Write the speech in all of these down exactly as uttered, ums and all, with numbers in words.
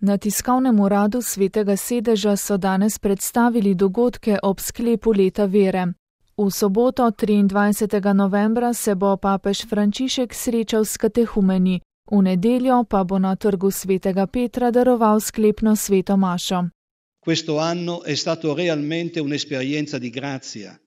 Na tiskovnem uradu Svetega sedeža so danes predstavili dogodke ob sklepu leta vere. V soboto, triindvajsetega novembra, se bo papež Frančišek srečal s katehumeni, v nedeljo pa bo na trgu Svetega Petra daroval sklepno sveto mašo. Questo anno è stato realmente un'esperienza di grazia,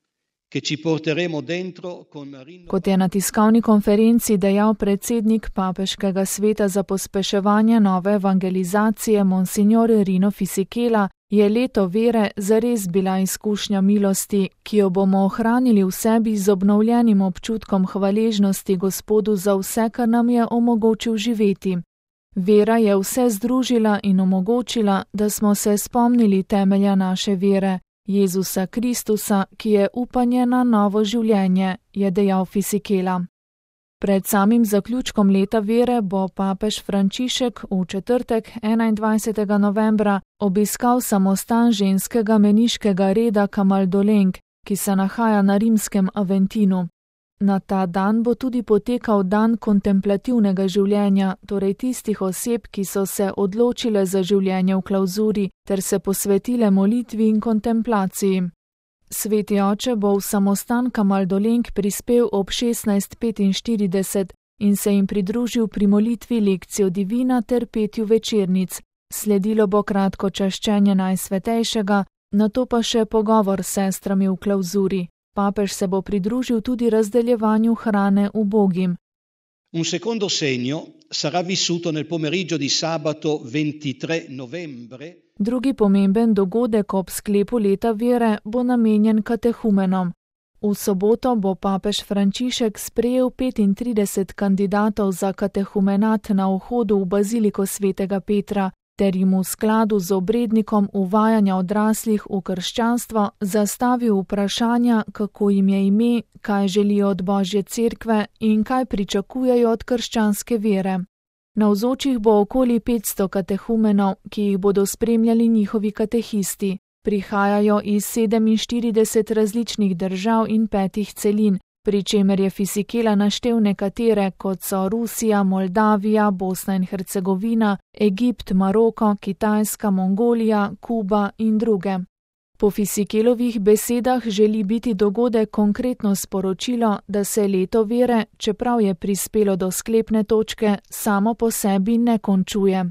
che ci porteremo dentro con Kot je na tiskovni konferenci dejal predsednik papeškega sveta za pospeševanje nove evangelizacije Monsignor Rino Fisichella, je leto vere zares bila izkušnja milosti, ki jo bomo ohranili v sebi z obnovljenim občutkom hvaležnosti Gospodu za vse, kar nam je omogočil živeti. Vera je vse združila in omogočila, da smo se spomnili temelja naše vere, Jezusa Kristusa, ki je upanje na novo življenje, je dejal Fisichella. Pred samim zaključkom leta vere bo papež Frančišek v četrtek, enaindvajsetega novembra, obiskal samostan ženskega meniškega reda Camaldoleng, ki se nahaja na rimskem Aventinu. Na ta dan bo tudi potekal dan kontemplativnega življenja, torej tistih oseb, ki so se odločile za življenje v klauzuri ter se posvetile molitvi in kontemplaciji. Sveti oče bo v samostan Camaldoleng prispel ob šestnajst petinštirideset in se jim pridružil pri molitvi lekcijo divina ter petju večernic. Sledilo bo kratko čaščenje Najsvetejšega, nato pa še pogovor s sestrami v klauzuri. Papež se bo pridružil tudi razdeljevanju hrane ubogim. Un secondo segno sarà vissuto nel pomeriggio di sabato ventitré novembre. Drugi pomemben dogodek ob sklepu leta vere bo namenjen katehumenom. V soboto bo papež Frančišek sprejel petintrideset kandidatov za katehumenat na vhodu v baziliko Svetega Petra, ter jim v skladu z obrednikom uvajanja odraslih v krščanstvo zastavil vprašanja, kako jim je ime, kaj želijo od Božje cerkve in kaj pričakujejo od krščanske vere. Navzočih bo okoli petsto katehumenov, ki jih bodo spremljali njihovi katehisti. Prihajajo iz sedeminštirideset različnih držav in petih celin, pri čemer je Fisichella naštel nekatere, kot so Rusija, Moldavija, Bosna in Hercegovina, Egipt, Maroko, Kitajska, Mongolija, Kuba in druge. Po Fisichellovih besedah želi biti dogodek konkretno sporočilo, da se leto vere, čeprav je prispelo do sklepne točke, samo po sebi ne končuje.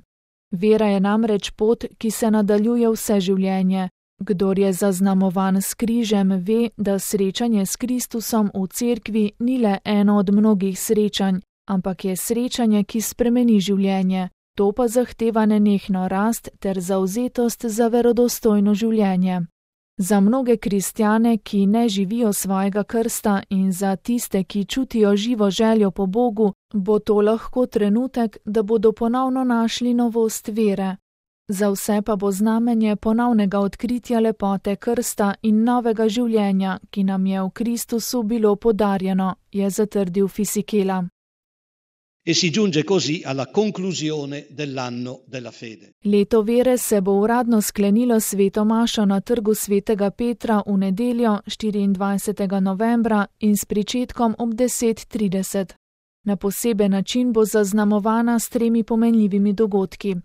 Vera je namreč pot, ki se nadaljuje vse življenje. Kdor je zaznamovan s križem, ve, da srečanje s Kristusom v cerkvi ni le eno od mnogih srečanj, ampak je srečanje, ki spremeni življenje. To pa zahteva nenehno rast ter zavzetost za verodostojno življenje. Za mnoge kristjane, ki ne živijo svojega krsta, in za tiste, ki čutijo živo željo po Bogu, bo to lahko trenutek, da bodo ponovno našli novost vere. Za vse pa bo znamenje ponovnega odkritja lepote krsta in novega življenja, ki nam je v Kristusu bilo podarjeno, je zatrdil Fisichella. E si giunge così alla conclusione dell'anno della fede. Leto vere se bo uradno sklenilo sveto mašo na trgu Svetega Petra v nedeljo, štiriindvajsetega novembra in s pričetkom ob deset trideset. Na poseben način bo zaznamovana s tremi pomenljivimi dogodki.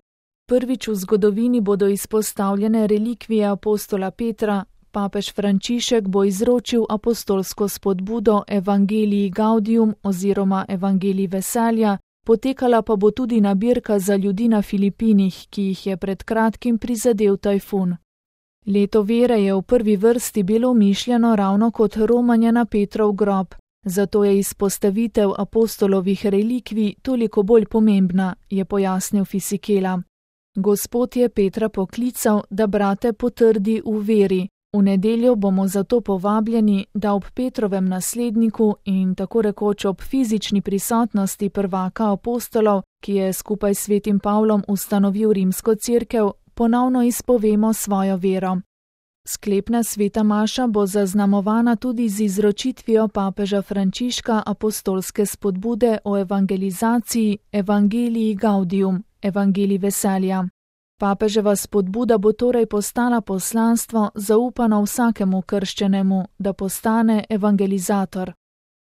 Prvič v zgodovini bodo izpostavljene relikvije apostola Petra, papež Frančišek bo izročil apostolsko spodbudo Evangelii Gaudium oziroma Evangelii veselja, potekala pa bo tudi nabirka za ljudi na Filipinih, ki jih je pred kratkim prizadel tajfun. Leto vere je v prvi vrsti bilo mišljeno ravno kot romanje na Petrov grob, zato je izpostavitev apostolovih relikvij toliko bolj pomembna, je pojasnil Fisichella. Gospod je Petra poklical, da brate potrdi v veri. V nedeljo bomo zato povabljeni, da ob Petrovem nasledniku in tako rekoč ob fizični prisotnosti prvaka apostolov, ki je skupaj s svetim Pavlom ustanovil rimsko cerkev, ponovno izpovemo svojo vero. Sklepna sveta maša bo zaznamovana tudi z izročitvijo papeža Frančiška apostolske spodbude o evangelizaciji Evangelii Gaudium, Evangelii veselja. Papeževa spodbuda bo torej postala poslanstvo zaupano vsakemu krščenemu, da postane evangelizator.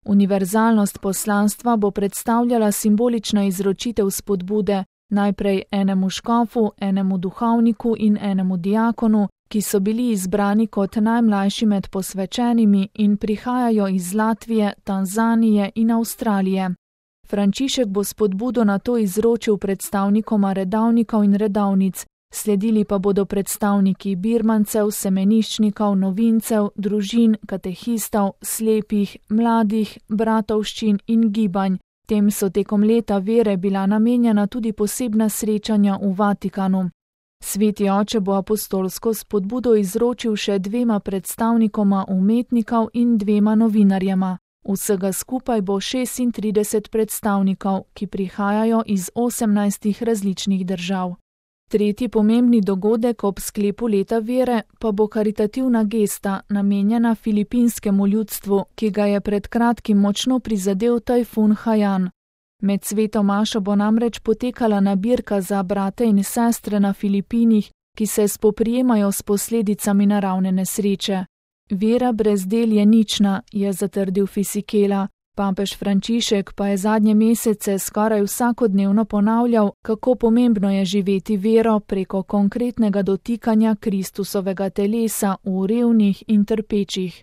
Univerzalnost poslanstva bo predstavljala simbolična izročitev spodbude, Najprej enemu škofu, enemu duhovniku in enemu diakonu, ki so bili izbrani kot najmlajši med posvečenimi in prihajajo iz Latvije, Tanzanije in Avstralije. Frančišek bo spodbudo na to izročil predstavnikoma redavnikov in redavnic, sledili pa bodo predstavniki birmancev, semeniščnikov, novincev, družin, katehistov, slepih, mladih, bratovščin in gibanj. Tem so tekom leta vere bila namenjena tudi posebna srečanja v Vatikanu. Sveti oče bo apostolsko spodbudo izročil še dvema predstavnikoma umetnikov in dvema novinarjema. Vsega skupaj bo šestintrideset predstavnikov, ki prihajajo iz osemnajstih različnih držav. Tretji pomembni dogodek ob sklepu leta vere pa bo karitativna gesta, namenjena filipinskemu ljudstvu, ki ga je pred kratkim močno prizadel tajfun Haiyan. Med sveto mašo bo namreč potekala nabirka za brate in sestre na Filipinih, ki se spoprijemajo s posledicami naravne nesreče. Vera brez del je nična, je zatrdil Fisichella. Papež Frančišek pa je zadnje mesece skoraj vsakodnevno ponavljal, kako pomembno je živeti vero preko konkretnega dotikanja Kristusovega telesa v revnih in trpečih.